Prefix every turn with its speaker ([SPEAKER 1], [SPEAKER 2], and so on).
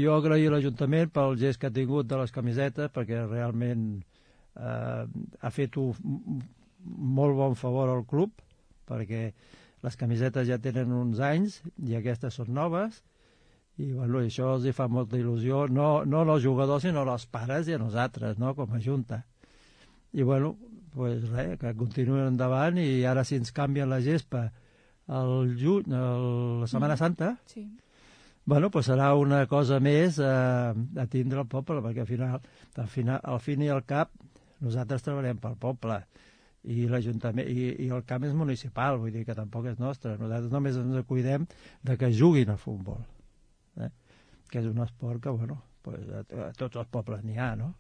[SPEAKER 1] Jo agraïo a l'Ajuntament pel gest que ha tingut de les camisetes, perquè realment ha fet un molt bon favor al club, perquè les camisetes ja tenen uns anys i aquestes són noves, i bueno, això els fa molta il·lusió, no als jugadors, sinó als pares i a nosaltres, no?, com a Junta. I bueno, pues res, que continuïn endavant, i ara si ens canvien la gespa al juny, la Setmana Santa,
[SPEAKER 2] Sí.
[SPEAKER 1] bueno, pues serà una cosa més a tindre al poble, perquè al fin i al cap nosaltres treballem pel poble, i l'Ajuntament i el camp és municipal, vull dir que tampoc és nostre. Nosaltres només ens cuidem de que juguin a futbol, que és un esport que, bueno, pues a tots els pobles n'hi ha, no?